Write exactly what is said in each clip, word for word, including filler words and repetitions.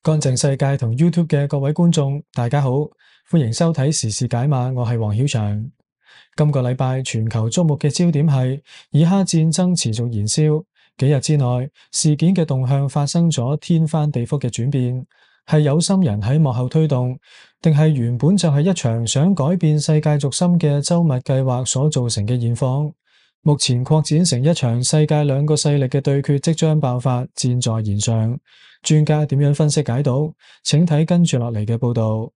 乾淨世界同 YouTube 嘅各位觀眾，大家好，歡迎收睇時事解碼，我係黃曉翔。今個禮拜全球矚目嘅焦點係以哈戰爭持續燃燒，幾日之內事件嘅動向發生咗天翻地覆嘅轉變，係有心人喺幕後推動，定係原本就係一場想改變世界軸心嘅周密計劃所造成嘅現況？目前擴展成一場世界兩個勢力嘅對決即將爆發，箭在弦上。專家點樣分析解讀？請睇跟住落嚟嘅報道。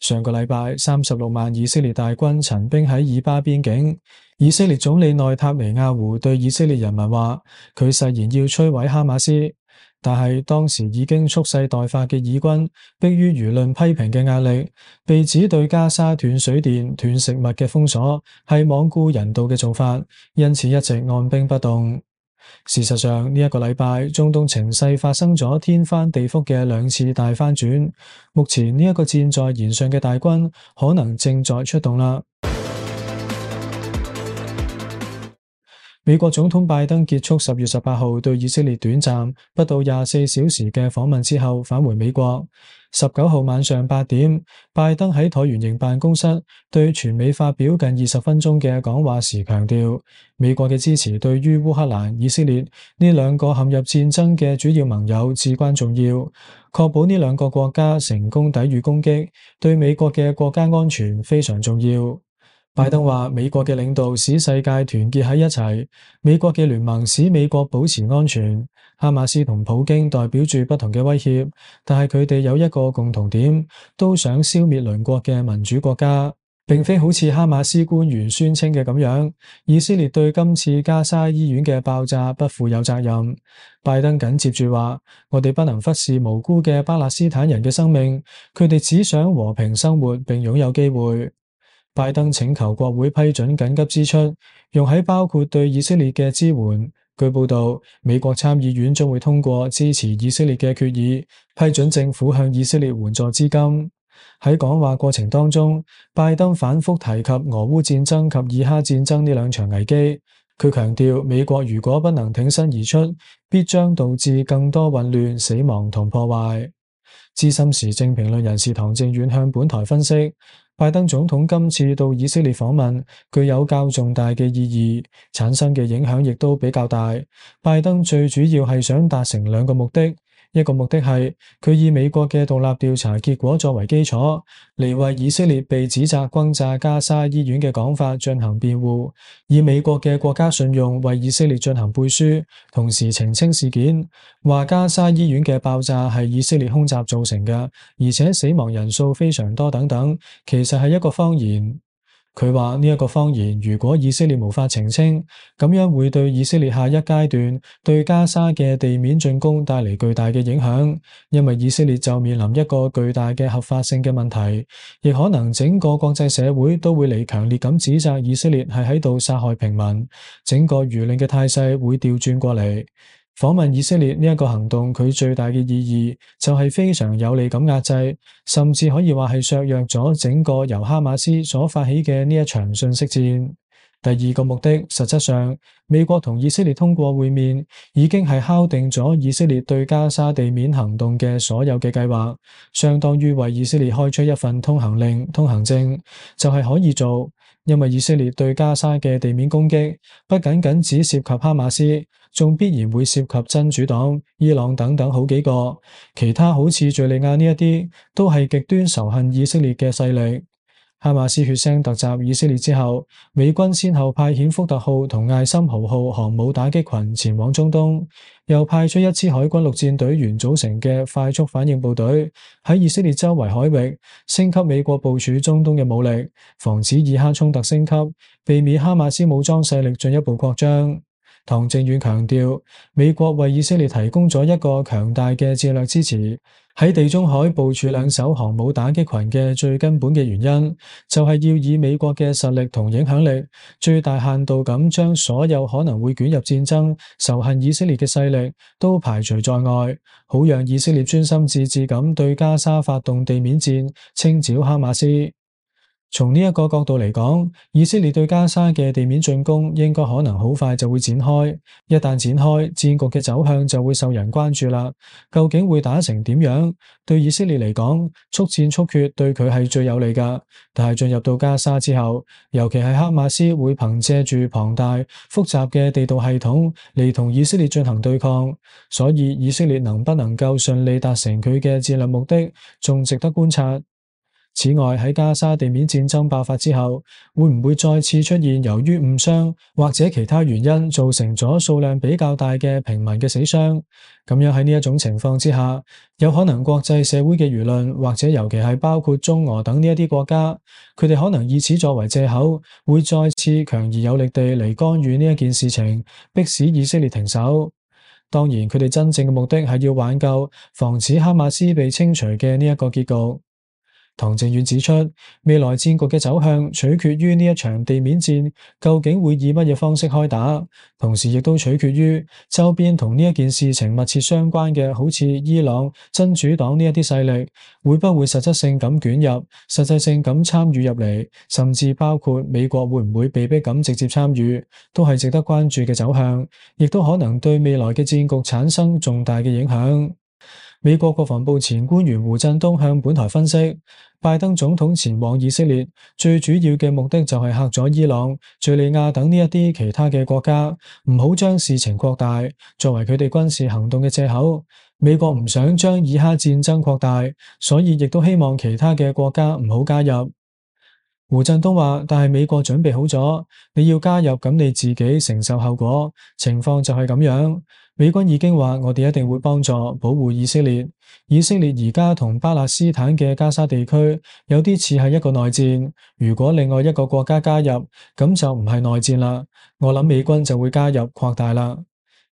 上個禮拜，三十六萬以色列大軍陳兵喺以巴邊境。以色列總理內塔尼亞胡對以色列人民話，佢誓言要摧毀哈馬斯。但係當時已經蓄勢待發嘅以軍，迫於輿論批評嘅壓力，被指對加沙斷水電、斷食物嘅封鎖係罔顧人道嘅做法，因此一直按兵不動。事實上，呢一個禮拜，中東情勢發生咗天翻地覆嘅兩次大翻轉。目前呢一個箭在弦上嘅大軍，可能正在出動啦。美國總統拜登結束十月十八號對以色列短暫不到廿四小時嘅訪問之後，返回美國。十九號晚上八點，拜登喺橢圓形辦公室對全美發表近二十分鐘嘅講話時強調，美國嘅支持對於烏克蘭、以色列呢兩個陷入戰爭嘅主要盟友至關重要，確保呢兩個國家成功抵禦攻擊，對美國嘅國家安全非常重要。拜登話：美國嘅領導使世界團結喺一齊，美國嘅聯盟使美國保持安全。哈馬斯同普京代表住不同嘅威脅，但係佢哋有一個共同點，都想消滅鄰國嘅民主國家，並非好似哈馬斯官員宣稱嘅咁樣，以色列對今次加沙醫院嘅爆炸不負有責任。拜登緊接住話：我哋不能忽視無辜嘅巴勒斯坦人嘅生命，佢哋只想和平生活並擁有機會。拜登請求國會批准緊急支出，用喺包括對以色列嘅支援。據報道，美國參議院將會通過支持以色列嘅決議，批准政府向以色列援助資金。喺講話過程當中，拜登反覆提及俄烏戰爭及以哈戰爭呢兩場危機。佢強調，美國如果不能挺身而出，必將導致更多混亂、死亡同破壞。資深時政評論人士唐正遠向本台分析，拜登總統今次到以色列訪問具有較重大嘅意義，產生嘅影響亦都比較大。拜登最主要係想達成兩個目的，一個目的係佢以美國嘅獨立調查結果作為基礎，嚟為以色列被指責轟炸加沙醫院嘅講法進行辯護，以美國嘅國家信用為以色列進行背書，同時澄清事件，話加沙醫院嘅爆炸係以色列空襲造成嘅，而且死亡人數非常多等等，其實係一個謊言。佢話呢一個謊言，如果以色列無法澄清，咁樣會對以色列下一階段對加沙嘅地面進攻帶嚟巨大嘅影響，因為以色列就面臨一個巨大嘅合法性嘅問題，亦可能整個國際社會都會嚟強烈咁指責以色列係喺度殺害平民，整個輿論嘅態勢會調轉過嚟。訪問以色列呢一個行動，佢最大嘅意義就係非常有利咁壓制，甚至可以話係削弱咗整個由哈馬斯所發起嘅呢一場信息戰。第二個目的，實質上美國同以色列通過會面，已經係敲定咗以色列對加沙地面行動嘅所有嘅計劃，相當於為以色列開出一份通行令、通行證，就係可以做。因為以色列對加沙嘅地面攻擊，不僅僅只涉及哈馬斯，仲必然會涉及真主黨、伊朗等等好幾個，其他好似敘利亞呢一啲，都係極端仇恨以色列嘅勢力。哈馬斯血腥突襲以色列之後，美軍先後派遣福特號同艾森豪號航母打擊群前往中東，又派出一支海軍陸戰隊員組成嘅快速反應部隊喺以色列周圍海域升級美國部署中東嘅武力，防止以哈衝突升級，避免哈馬斯武裝勢力進一步擴張。唐正遠強調，美國為以色列提供咗一個強大嘅戰略支持。喺地中海部署兩艘航母打擊群嘅最根本嘅原因，就係要以美國嘅實力同影響力，最大限度咁將所有可能會捲入戰爭、仇恨以色列嘅勢力都排除在外，好讓以色列專心致志咁對加沙發動地面戰，清剿哈馬斯。從呢一個角度嚟講，以色列對加沙嘅地面進攻應該可能好快就會展開。一旦展開，戰局嘅走向就會受人關注啦。究竟會打成點樣？對以色列嚟講，速戰速決對佢係最有利㗎。但係進入到加沙之後，尤其係哈馬斯會憑借住龐大複雜嘅地道系統嚟同以色列進行對抗，所以以色列能不能夠順利達成佢嘅戰略目的，仲值得觀察。此外，喺加沙地面戰爭爆發之後，會唔會再次出現由於誤傷或者其他原因造成咗數量比較大嘅平民嘅死傷？咁樣喺呢一種情況之下，有可能國際社會嘅輿論或者尤其係包括中俄等呢一啲國家，佢哋可能以此作為借口，會再次強而有力地嚟干預呢一件事情，迫使以色列停手。當然，佢哋真正嘅目的係要挽救、防止哈馬斯被清除嘅呢一個結局。唐正遠指出，未來戰局嘅走向取決於呢一場地面戰究竟會以乜嘢方式開打，同時亦都取決於周邊同呢一件事情密切相關嘅，好似伊朗、真主黨呢一啲勢力，會不會實質性咁捲入、實際性咁參與入嚟，甚至包括美國會唔會被逼咁直接參與，都係值得關注嘅走向，亦都可能對未來嘅戰局產生重大嘅影響。美國國防部前官員胡振東向本台分析，拜登總統前往以色列最主要嘅目的就係嚇咗伊朗、敘利亞等呢一啲其他嘅國家，唔好將事情擴大，作為佢哋軍事行動嘅借口。美國唔想將以哈戰爭擴大，所以亦都希望其他嘅國家唔好加入。胡振東話，但係美國準備好咗，你要加入咁你自己承受後果，情況就係咁樣。美軍已經話我哋一定會幫助保護以色列。以色列而家同巴勒斯坦嘅加沙地區有啲似係一個內戰，如果另外一個國家加入，咁就唔係內戰啦。我諗美軍就會加入擴大啦。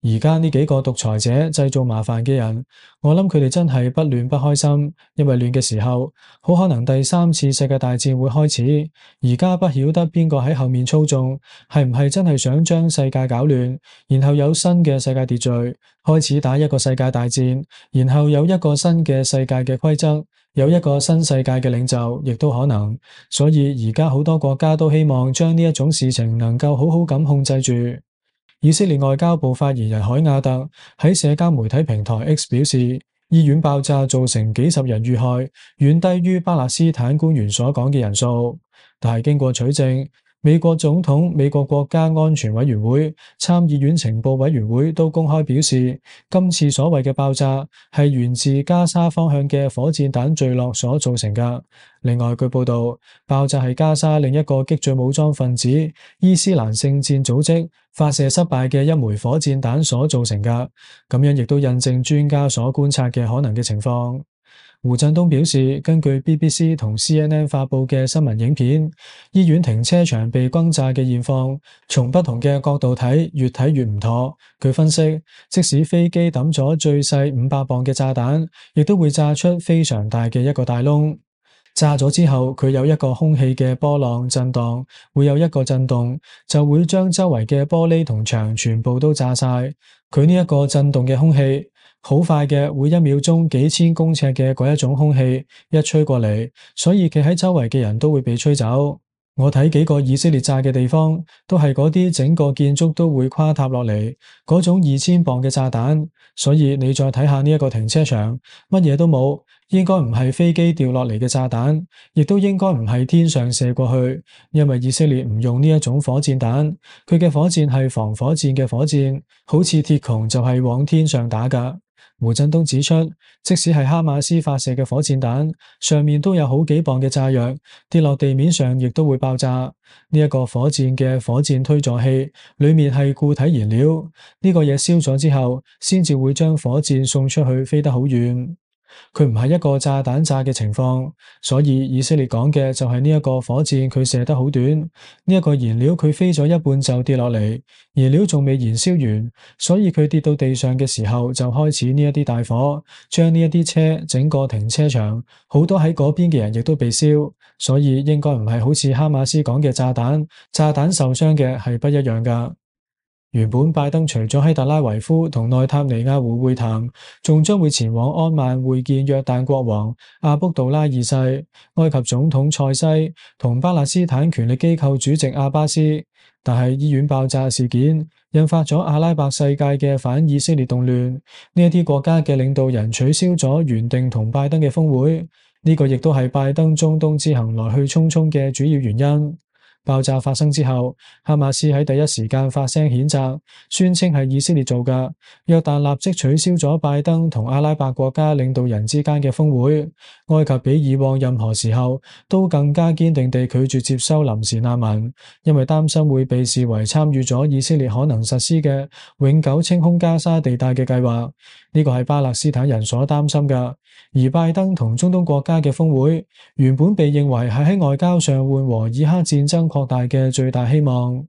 而家呢幾個獨裁者製造麻煩嘅人，我諗佢哋真係不亂不開心，因為亂嘅時候，好可能第三次世界大戰會開始。而家不曉得邊個喺後面操縱，係唔係真係想將世界搞亂，然後有新嘅世界秩序，開始打一個世界大戰，然後有一個新嘅世界嘅規則，有一個新世界嘅領袖，亦都可能。所以而家好多國家都希望將呢一種事情能夠好好咁控制住。以色列外交部發言人海亞特喺社交媒體平台 X 表示，醫院爆炸造成幾十人遇害，遠低於巴勒斯坦官員所講嘅人數。但係經過取證，美國總統、美國國家安全委員會、參議院情報委員會都公開表示，今次所謂嘅爆炸係源自加沙方向嘅火箭彈墜落所造成㗎。另外，據報道，爆炸係加沙另一個激進武裝分子伊斯蘭聖戰組織發射失敗嘅一枚火箭彈所造成㗎。咁樣亦都印證專家所觀察嘅可能嘅情況。胡振東表示，根據 B B C 同 C N N 發佈嘅新聞影片，醫院停車場被轟炸嘅現況，從不同嘅角度睇，越睇越唔妥。佢分析，即使飛機抌咗最細五百磅嘅炸彈，亦都會炸出非常大嘅一個大窿。炸咗之後，佢有一個空氣嘅波浪震盪，會有一個震動，就會將周圍嘅玻璃同牆全部都炸晒。佢呢一個震動嘅空氣，好快嘅，會一秒鐘幾千公尺嘅嗰一種空氣一吹過嚟，所以企喺周圍嘅人都會被吹走。我睇幾個以色列炸嘅地方，都係嗰啲整個建築都會垮塌落嚟嗰種二千磅嘅炸彈。所以你再睇下呢一個停車場，乜嘢都冇，應該唔係飛機掉落嚟嘅炸彈，亦都應該唔係天上射過去，因為以色列唔用呢一種火箭彈，佢嘅火箭係防火箭嘅火箭，好似鐵穹就係往天上打㗎。胡振東指出，即使係哈馬斯發射嘅火箭彈，上面都有好幾磅嘅炸藥，跌落地面上亦都會爆炸。呢一個火箭嘅火箭推助器裏面係固體燃料，呢個嘢燒咗之後，先至會將火箭送出去，飛得好遠。佢唔係一個炸彈炸嘅情況，所以以色列講嘅就係呢一個火箭佢射得好短，呢一個燃料佢飛咗一半就跌落嚟，燃料仲未燃燒完，所以佢跌到地上嘅時候就開始呢一啲大火，將呢一啲車整個停車場，好多喺嗰邊嘅人亦都被燒，所以應該唔係好似哈馬斯講嘅炸彈，炸彈受傷嘅係不一樣㗎。原本拜登除咗喺特拉維夫同內塔尼亞胡會談，仲將會前往安曼會見約旦國王阿卜杜拉二世、埃及總統塞西同巴勒斯坦權力機構主席阿巴斯。但係醫院爆炸事件引發咗阿拉伯世界嘅反以色列動亂，呢一啲國家嘅領導人取消咗原定同拜登嘅峰會，呢個亦都係拜登中東之行來去匆匆嘅主要原因。爆炸發生之後，哈馬斯喺第一時間發聲譴責，宣稱係以色列做㗎。約旦立即取消咗拜登同阿拉伯國家領導人之間嘅峰會。埃及比以往任何時候都更加堅定地拒絕接收臨時難民，因為擔心會被視為參與咗以色列可能實施嘅永久清空加沙地帶嘅計劃。呢個係巴勒斯坦人所擔心㗎。而拜登同中東國家嘅峰會原本被認為係喺外交上緩和以哈戰爭擴大嘅最大希望。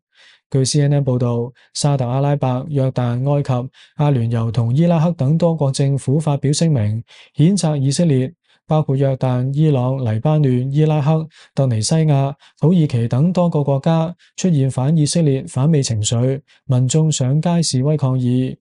據 C N N 報道，沙特阿拉伯、約旦、埃及、阿聯酋同伊拉克等多國政府發表聲明，譴責以色列，包括約旦、伊朗、黎巴嫩、伊拉克、突尼西亞、土耳其等多個國家出現反以色列、反美情緒，民眾上街示威抗議。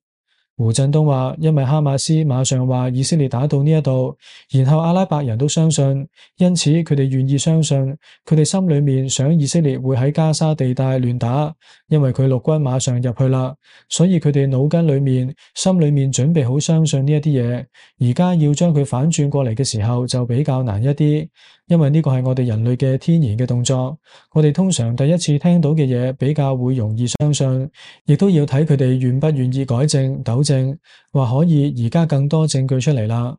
胡振東話，因為哈馬斯馬上話以色列打到呢一度，然後阿拉伯人都相信，因此佢哋願意相信，佢哋心裏面想以色列會喺加沙地帶亂打，因為佢陸軍馬上入去啦，所以佢哋腦筋裏面、心裏面準備好相信呢一啲嘢，而家要將佢反轉過嚟嘅時候就比較難一啲，因為呢個係我哋人類嘅天然嘅動作，我哋通常第一次聽到嘅嘢比較會容易相信，亦都要睇佢哋願不願意改正、糾正，話可以而家更多證據出嚟啦。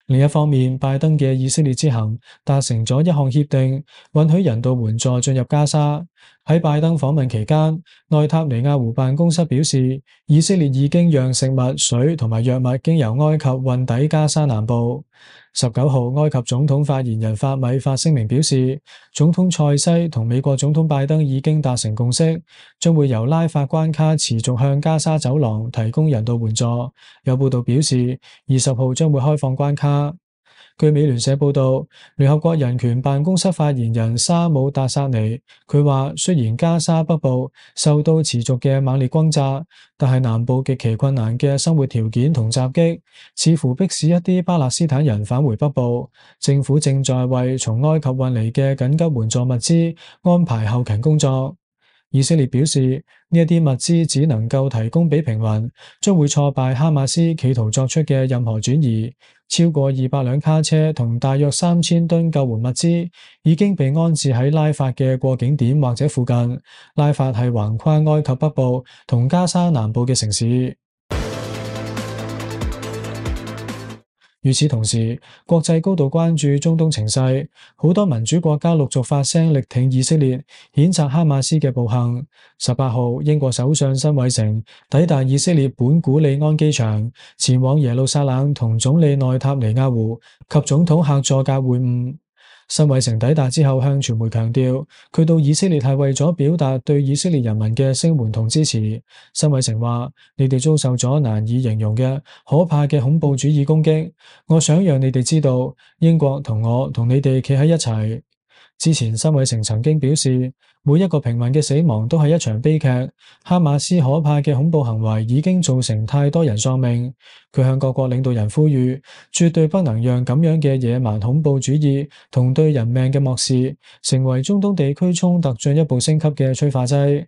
另一方面，拜登嘅以色列之行達成咗一項協定，允許人道援助進入加沙。喺拜登訪問期間，內塔尼亞胡辦公室表示，以色列已經讓食物、水同埋藥物經由埃及運抵加沙南部。十九號，埃及總統發言人法米發聲明表示，總統塞西同美國總統拜登已經達成共識，將會由拉法關卡持續向加沙走廊提供人道援助。有報道表示，二十號將會開放關卡。據美聯社報道，聯合國人權辦公室發言人沙姆達薩尼佢話，雖然加沙北部受到持續嘅猛烈轟炸，但係南部極其困難嘅生活條件同襲擊，似乎迫使一啲巴勒斯坦人返回北部。政府正在為從埃及運嚟嘅緊急援助物資安排後勤工作。以色列表示，呢一啲物資只能夠提供俾平民，將會挫敗哈馬斯企圖作出嘅任何轉移。超過二百輛卡車同大約三千噸救援物資已經被安置喺拉法嘅過境點或者附近。拉法係橫跨埃及北部同加沙南部嘅城市。與此同時，國際高度關注中東情勢，好多民主國家陸續發聲力挺以色列，譴責哈馬斯嘅暴行。十八號，英國首相辛偉誠抵達以色列本古里安機場，前往耶路撒冷同總理內塔尼亞胡及總統赫佐格會晤。辛偉誠抵達之後向傳媒強調，佢到以色列係為咗表達對以色列人民嘅聲援同支持。辛偉誠話：你哋遭受咗難以形容嘅可怕嘅恐怖主義攻擊，我想讓你哋知道，英國同我同你哋企喺一齊。之前辛偉誠曾經表示，每一個平民嘅死亡都係一場悲劇，哈馬斯可怕嘅恐怖行為已經造成太多人喪命。佢向各國領導人呼籲，絕對不能讓咁樣嘅野蠻恐怖主義同對人命嘅漠視，成為中東地區衝突進一步升級嘅催化劑。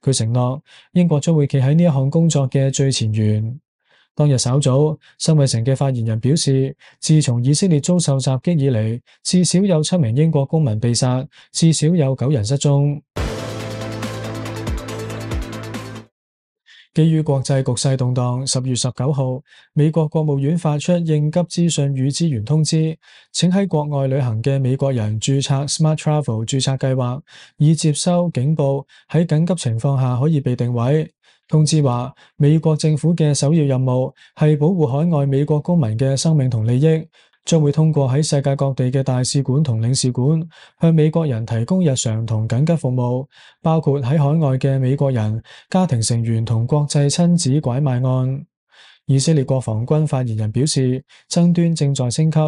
佢承諾，英國將會企喺呢一項工作嘅最前沿。當日稍早，辛偉誠嘅發言人表示，自從以色列遭受襲擊以嚟，至少有七名英國公民被殺，至少有九人失蹤。基於國際局勢動盪，十月十九號，美國國務院發出應急資訊與資源通知，請喺國外旅行嘅美國人註冊 Smart Travel 註冊計劃，以接收警報，喺緊急情況下可以被定位。通知話，美國政府嘅首要任務係保護海外美國公民嘅生命同利益，將會通過喺世界各地嘅大使館同領事館向美國人提供日常同緊急服務，包括喺海外嘅美國人、家庭成員同國際親子拐賣案。以色列國防軍發言人表示，爭端正在升級，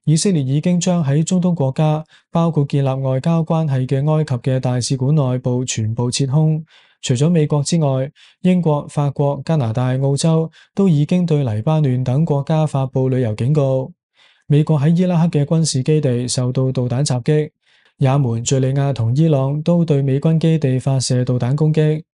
以色列已經將喺中東國家，包括建立外交關係嘅埃及嘅大使館內部全部撤空。除咗美國之外，英國、法國、加拿大、澳洲都已經對黎巴嫩等國家發布旅遊警告。美國喺伊拉克嘅軍事基地受到導彈襲擊，也門、敘利亞同伊朗都對美軍基地發射導彈攻擊。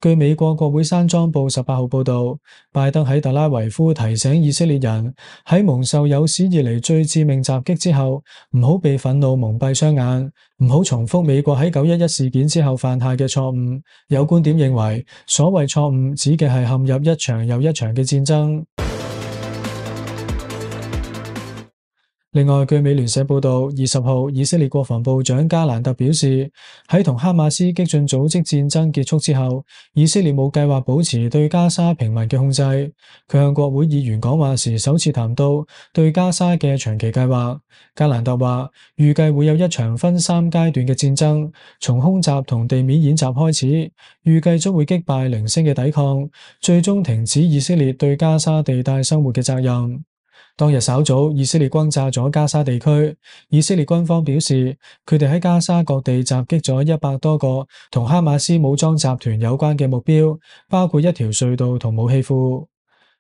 據美國國會山莊報十八號報道，拜登喺特拉維夫提醒以色列人喺蒙受有史以嚟最致命襲擊之後，唔好被憤怒蒙蔽雙眼，唔好重複美國喺九一一事件之後犯下嘅錯誤。有觀點認為，所謂錯誤指嘅係陷入一場又一場嘅戰爭。另外，據美聯社報道，二十號以色列國防部長加蘭特表示，喺同哈馬斯激進組織戰爭結束之後，以色列冇計劃保持對加沙平民嘅控制。佢向國會議員講話時首次談到對加沙嘅長期計劃。加蘭特話，預計會有一場分三階段嘅戰爭，從空襲同地面演習開始，預計將會擊敗零星嘅抵抗，最終停止以色列對加沙地帶生活嘅責任。當日稍早，以色列轟炸咗加沙地區。以色列軍方表示，佢哋喺加沙各地襲擊咗一百多個同哈馬斯武裝集團有關嘅目標，包括一條隧道同武器庫。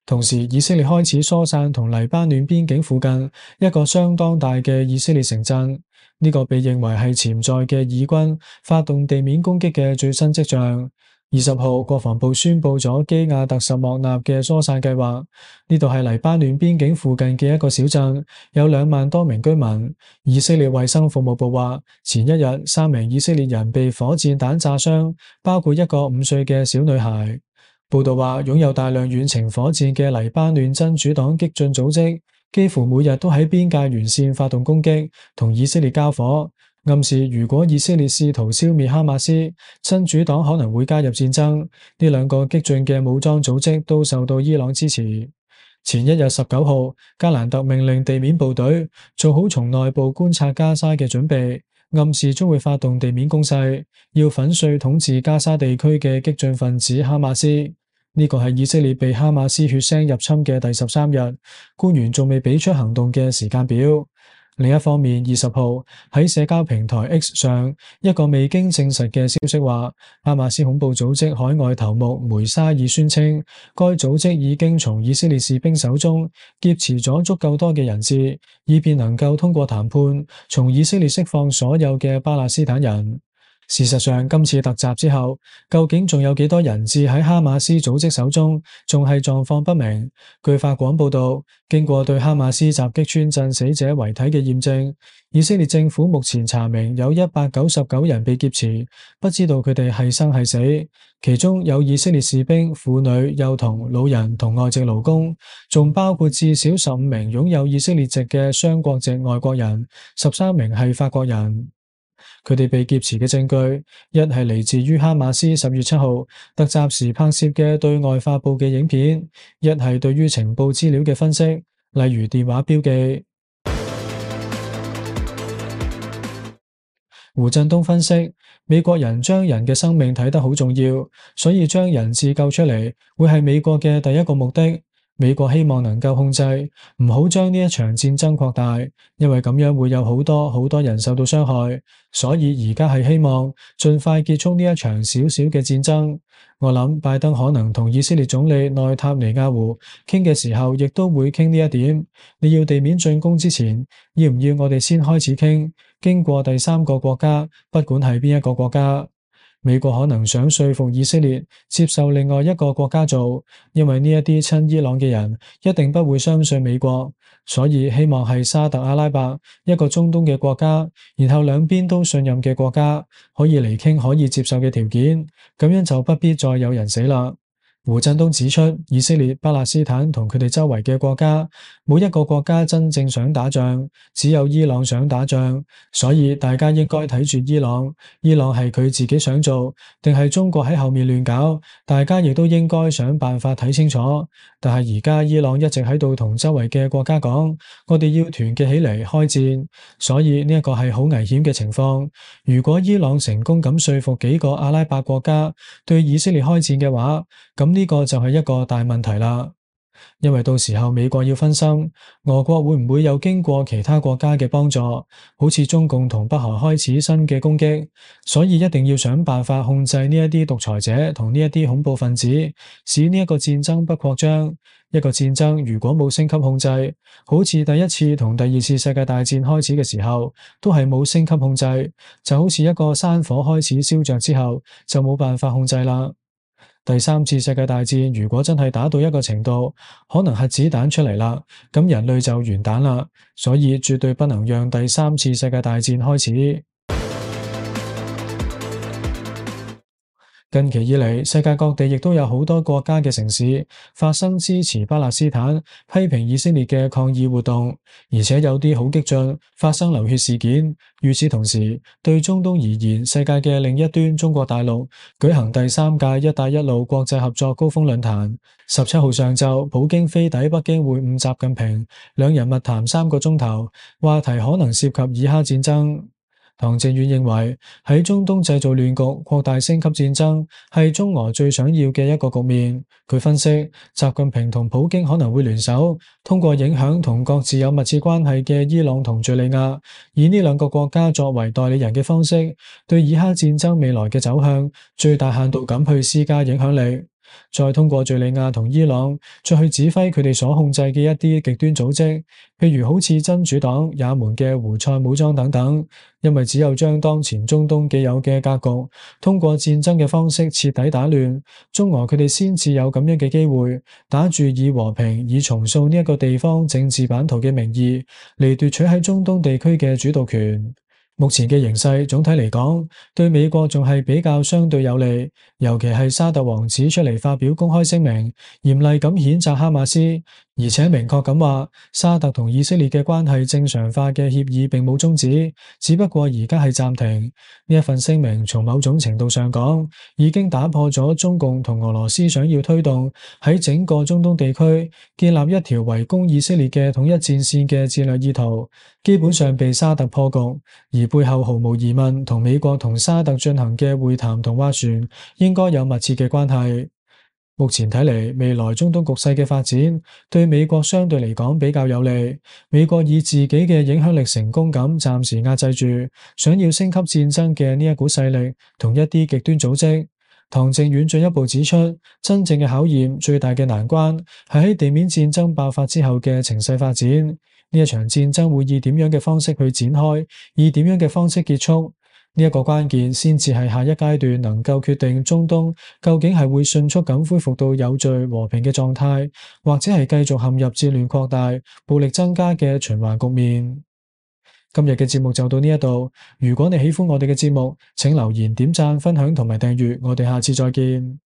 同時，以色列開始疏散同黎巴嫩邊境附近一個相當大嘅以色列城鎮。呢個被認為係潛在嘅以軍發動地面攻擊嘅最新跡象。二十號，國防部宣布咗基亞特什莫納嘅疏散計劃。呢度係黎巴嫩邊境附近嘅一個小鎮，有兩萬多名居民。以色列衛生服務部話，前一日三名以色列人被火箭彈炸傷，包括一個五歲嘅小女孩。報道話，擁有大量遠程火箭嘅黎巴嫩真主黨激進組織，幾乎每日都喺邊界沿線發動攻擊，同以色列交火。暗示如果以色列試圖消滅哈馬斯，真主黨可能會加入戰爭。呢兩個激進嘅武裝組織都受到伊朗支持。前一日十九號，加蘭特命令地面部隊做好從內部觀察加沙嘅準備，暗示將會發動地面攻勢，要粉碎統治加沙地區嘅激進分子哈馬斯。呢個係以色列被哈馬斯血腥入侵嘅第十三日，官員仲未俾出行動嘅時間表。另一方面，二十號喺社交平台 X 上，一個未經證實嘅消息話，哈馬斯恐怖組織海外頭目梅沙爾宣稱，該組織已經從以色列士兵手中劫持咗足夠多嘅人質，以便能夠通過談判，從以色列釋放所有嘅巴勒斯坦人。事實上，今次突襲之後，究竟仲有幾多人質喺哈馬斯組織手中，仲係狀況不明。據法廣報道，經過對哈馬斯襲擊村鎮死者遺體嘅驗證，以色列政府目前查明有一百九十九人被劫持，不知道佢哋係生係死，其中有以色列士兵、婦女、幼童、老人同外籍勞工，仲包括至少十五名擁有以色列籍嘅雙國籍外國人，十三名係法國人。佢哋被劫持嘅證據，一係嚟自於哈馬斯十月七號突襲時拍攝嘅對外發佈嘅影片，一係對於情報資料嘅分析，例如電話標記。胡振東分析，美國人將人嘅生命睇得好重要，所以將人質救出嚟會係美國嘅第一個目的。美國希望能夠控制，唔好將呢一場戰爭擴大，因為咁樣會有好多好多人受到傷害，所以而家係希望盡快結束呢一場小小嘅戰爭。我諗拜登可能同以色列總理內塔尼亞胡傾嘅時候，亦都會傾呢一點。你要地面進攻之前，要唔要我哋先開始傾，經過第三個國家，不管係邊一個國家。美國可能想說服以色列接受另外一個國家做，因為呢一啲親伊朗嘅人一定不會相信美國，所以希望係沙特阿拉伯，一個中東嘅國家，然後兩邊都信任嘅國家，可以嚟傾可以接受嘅條件，咁樣就不必再有人死啦。胡振東指出，以色列、巴勒斯坦同佢哋周圍嘅國家，冇一個國家真正想打仗，只有伊朗想打仗，所以大家應該睇住伊朗。伊朗係佢自己想做，定係中國喺後面亂搞？大家亦都應該想辦法睇清楚。但係而家伊朗一直喺度同周圍嘅國家講，我哋要團結起嚟開戰，所以呢一個係好危險嘅情況。如果伊朗成功咁說服幾個阿拉伯國家對以色列開戰嘅話，咁呢個就係一個大問題啦。因為到時候美國要分心，俄國會唔會有經過其他國家嘅幫助，好似中共同北韓開始新嘅攻擊，所以一定要想辦法控制呢一啲獨裁者同呢一啲恐怖分子，使呢一個戰爭不擴張。一個戰爭如果冇升級控制，好似第一次同第二次世界大戰開始嘅時候，都係冇升級控制，就好似一個山火開始燒着之後，就冇辦法控制啦。第三次世界大戰如果真係打到一個程度，可能核子彈出嚟啦，咁人類就完蛋啦，所以絕對不能讓第三次世界大戰開始。近期以嚟，世界各地亦都有好多國家嘅城市發生支持巴勒斯坦、批評以色列嘅抗議活動，而且有啲好激進，發生流血事件。與此同時，對中東而言，世界嘅另一端中國大陸舉行第三屆一帶一路國際合作高峰論壇。十七號上晝，普京飛抵北京會晤習近平，兩人密談三個鐘頭，話題可能涉及以哈戰爭。唐靖遠認為，喺中東製造亂局、擴大升級戰爭，係中俄最想要嘅一個局面。佢分析，習近平同普京可能會聯手，通過影響同各自有密切關係嘅伊朗同敘利亞，以呢兩個國家作為代理人嘅方式，對以哈戰爭未來嘅走向，最大限度咁去施加影響力。再通過敘利亞同伊朗，再去指揮佢哋所控制嘅一啲極端組織，譬如好似真主黨、也門嘅胡塞武裝等等。因為只有將當前中東既有嘅格局，通過戰爭嘅方式徹底打亂，中俄佢哋先至有咁樣嘅機會，打住以和平、以重塑呢一個地方政治版圖嘅名義，嚟奪取喺中東地區嘅主導權。目前嘅形勢總體嚟講，對美國仲係比較相對有利，尤其係沙特王子出嚟發表公開聲明，嚴厲咁譴責哈馬斯，而且明確咁話，沙特同以色列嘅關係正常化嘅協議並冇終止，只不過而家係暫停。呢一份聲明從某種程度上講，已經打破咗中共同俄羅斯想要推動喺整個中東地區建立一條圍攻以色列嘅統一戰線嘅戰略意圖，基本上被沙特破局，而背後毫無疑問同美國同沙特進行嘅會談同斡旋應該有密切嘅關係。目前睇嚟，未來中東局勢嘅發展對美國相對嚟講比較有利。美國以自己嘅影響力成功咁暫時壓制住想要升級戰爭嘅呢一股勢力同一啲極端組織。唐靖遠進一步指出，真正嘅考驗、最大嘅難關係喺地面戰爭爆發之後嘅情勢發展。呢一場戰爭會以點樣嘅方式去展開，以點樣嘅方式結束？呢一個關鍵先至係下一階段能夠決定中東究竟係會迅速咁恢復到有序和平嘅狀態，或者係繼續陷入戰亂擴大、暴力增加嘅循環局面。今日嘅節目就到呢一度，如果你喜歡我哋嘅節目，請留言、點讚、分享同埋訂閱，我哋下次再見。